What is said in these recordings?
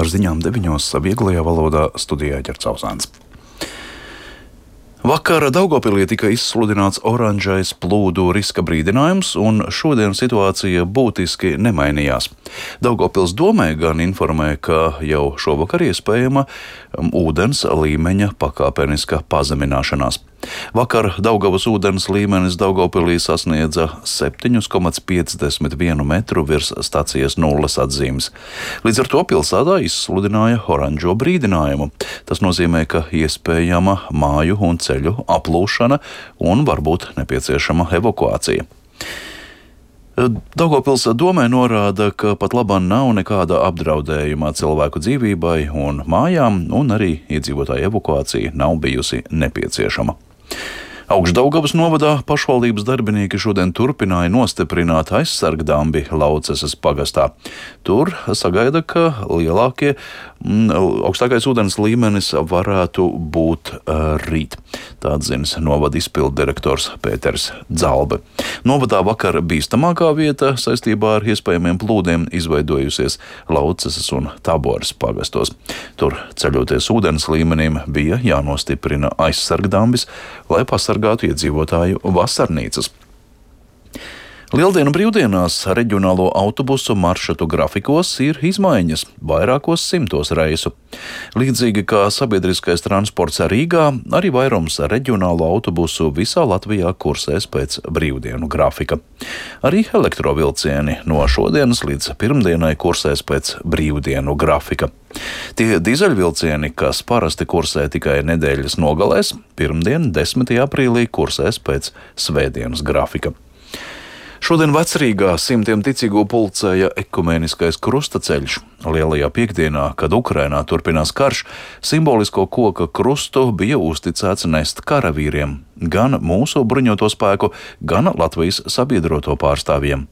Ar ziņām 9. vieglajā valodā studijā Ģerts Ausāns. Vakar Daugavpilī tika izsludināts oranžais plūdu riska brīdinājums, un šodien situācija būtiski nemainījās. Daugavpils domē gan informē, ka jau šovakar iespējama ūdens līmeņa pakāpeniska pazemināšanās. Vakar Daugavas ūdens līmenis Daugavpilī sasniedza 7,51 metru virs stacijas nulles atzīmes. Līdz ar to pilsētā izsludināja oranžo brīdinājumu. Tas nozīmē, ka iespējama māju un ceļu aplūšana un varbūt nepieciešama evakuācija. Daugavpils domē norāda, ka pat labāk nav nekāda apdraudējuma cilvēku dzīvībai un mājām, un arī iedzīvotāju evakuācija nav bijusi nepieciešama. Augšdaugavas novadā pašvaldības darbinieki šodien turpināja nostiprināt aizsargdambi Lauceses pagastā. Tur sagaida, ka augstākais ūdens līmenis varētu būt rīt. Tā atzinis novada izpildu direktors Pēters Dzalbe. Novadā vakar bīstamākā vieta saistībā ar iespējamiem plūdiem izveidojusies Lauceses un Taboras pagastos. Tur ceļoties ūdens līmenim bija jānostiprina aizsargdambis, lai pasargātu iedzīvotāju vasarnīcas. Lieldienu brīvdienās reģionālo autobusu maršrutu grafikos ir izmaiņas vairākos simtos reisu. Līdzīgi kā sabiedriskais transports Rīgā, arī vairums reģionālo autobusu visā Latvijā kursēs pēc brīvdienu grafika. Arī elektrovilcieni no šodienas līdz pirmdienai kursēs pēc brīvdienu grafika. Tie dīzeļvilcieni, kas parasti kursē tikai nedēļas nogalēs, pirmdien 10. aprīlī kursēs pēc svētdienas grafika. Šodien Vecrīgā simtiem ticīgo pulcēja ekumēniskais krustaceļš. Lielajā piekdienā, kad Ukrainā turpinās karš, simbolisko koka krustu bija uzticēts nest karavīriem, gan mūsu bruņoto spēku, gan Latvijas sabiedroto pārstāvjiem.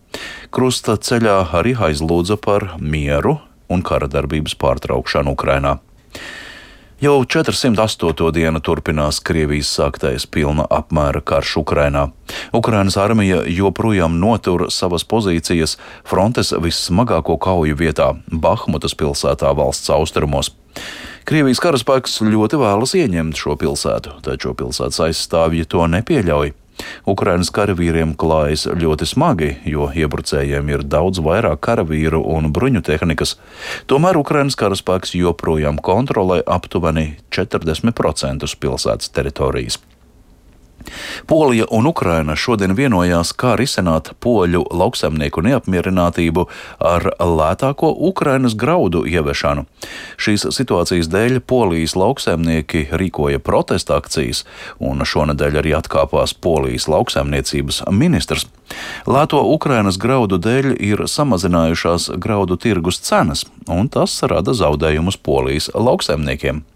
Krusta ceļā arī aizlūdza par mieru un kara darbības pārtraukšanu Ukrainā. Jau 408. dienu turpinās Krievijas sāktais pilna apmēra karš Ukrainā. Ukrainas armija joprojām notur savas pozīcijas frontes vissmagāko kauju vietā – Bahmutas pilsētā valsts austrumos. Krievijas karaspēks ļoti vēlas ieņemt šo pilsētu, taču pilsētas aizstāvji to nepieļauj. Ukrainas karavīriem klājas ļoti smagi, jo iebrucējiem ir daudz vairāk karavīru un bruņu tehnikas. Tomēr Ukrainas karaspēks joprojām kontrolē aptuveni 40% pilsētas teritorijas. Polija un Ukraina šodien vienojās, kā risināt poļu lauksaimnieku neapmierinātību ar lētāko Ukrainas graudu ieviešanu. Šīs situācijas dēļ Polijas lauksaimnieki rīkoja protesta akcijas, un šonedēļ arī atkāpās Polijas lauksaimniecības ministrs. Lēto Ukrainas graudu dēļ ir samazinājušās graudu tirgus cenas, un tas rada zaudējumus Polijas lauksaimniekiem.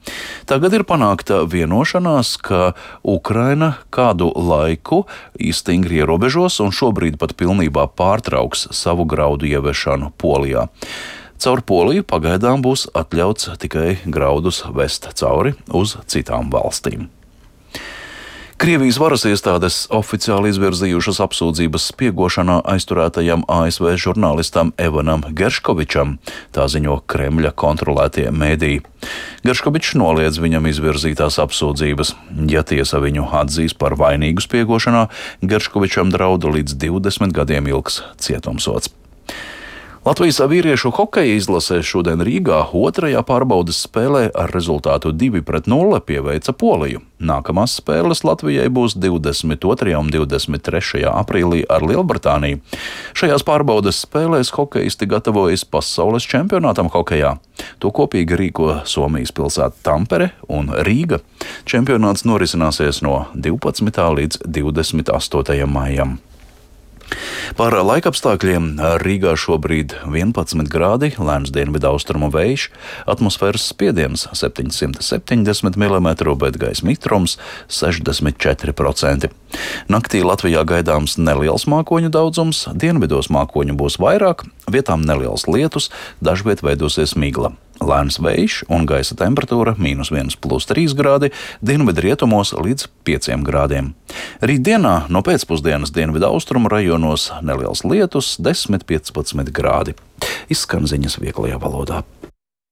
Tagad ir panākta vienošanās, ka Ukraina kādu laiku stingri ierobežos un šobrīd pat pilnībā pārtrauks savu graudu ieviešanu Polijā. Caur Poliju pagaidām būs atļauts tikai graudus vest cauri uz citām valstīm. Krievijas varas iestādes oficiāli izvirzījušas apsūdzības spiegošanā aizturētajam ASV žurnālistam Evanam Gerškovičam, tā ziņo Kremļa kontrolētie mēdīji. Gerškovičs noliedz viņam izvirzītās apsūdzības. Ja tiesa viņu atzīs par vainīgu spiegošanā, Gerškovičam drauda līdz 20 gadiem ilgs cietumsods. Latvijas vīriešu hokeja izlasē šodien Rīgā otrajā pārbaudes spēlē ar rezultātu 2-0 pieveica Poliju. Nākamās spēles Latvijai būs 22. un 23. aprīlī ar Lielbritāniju. Šajās pārbaudes spēlēs hokejisti gatavojas pasaules čempionātam hokejā. To kopīgi rīko Somijas pilsēta Tampere un Rīga. Čempionāts norisināsies no 12. līdz 28. maijam. Par laikapstākļiem Rīgā šobrīd 11 grādi, lēns dienvidu austrumu vējš, atmosfēras spiediens 770 mm, bet gaisa mitrums 64%. Naktī Latvijā gaidāms neliels mākoņu daudzums, dienvidos mākoņu būs vairāk, vietām neliels lietus, dažviet veidosies migla. Lēns vējš un gaisa temperatūra -1 + 3 grādi, dienvidu rietumos līdz 5 grādiem. Rītdienā no pēcpusdienas dienvidu austrumu rajonos neliels lietus 10–15 grādi. Izskan ziņas vieglajā valodā.